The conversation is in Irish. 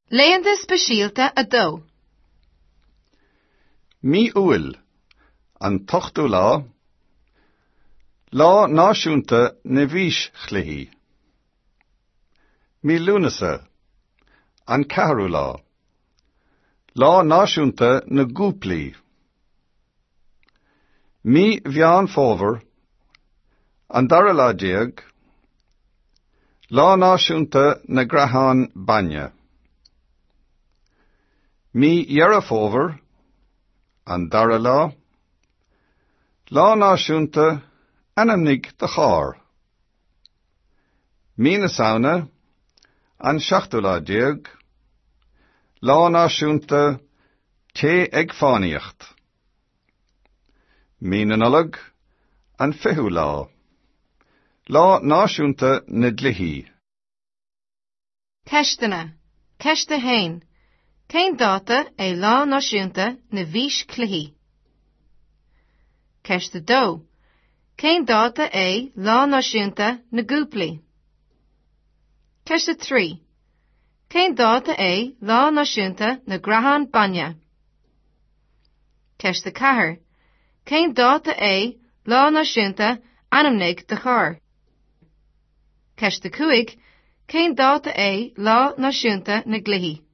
Laethanta Speisialta 2. Mí Iúil, an t-ochtú lá, Lá Náisiúnta na bhFíschluichí. Mí Lúnasa, an ceathrú lá, Lá Náisiúnta na gCúplaí. Mí Mheán Fómhair, an dara lá déag, Lá Náisiúnta na gCreathán Bainne. Mí Dheireadh Fómhair, an dara lá, Lá Náisiúnta Ainmnigh do Charr. Mí na Samhna, an seachtú lá déag, Lá Náisiúnta Téigh ag Fánaíocht. Mí na Nollag, an fichiú lá, Lá Náisiúnta na gCluichí. Ceisteanna. Ceist 1. Cén dáta é Lá Náisiúnta na bhFíschluichí? Ceist 2. Cén dáta é Lá Náisiúnta na gCúplaí? Ceist 3. Cén dáta é Lá Náisiúnta na gCreathán Bainne? Ceist 4. Cén dáta é Lá Náisiúnta Ainmnigh do Charr? Ceist 5. Cén dáta é Lá Náisiúnta na gCluichí?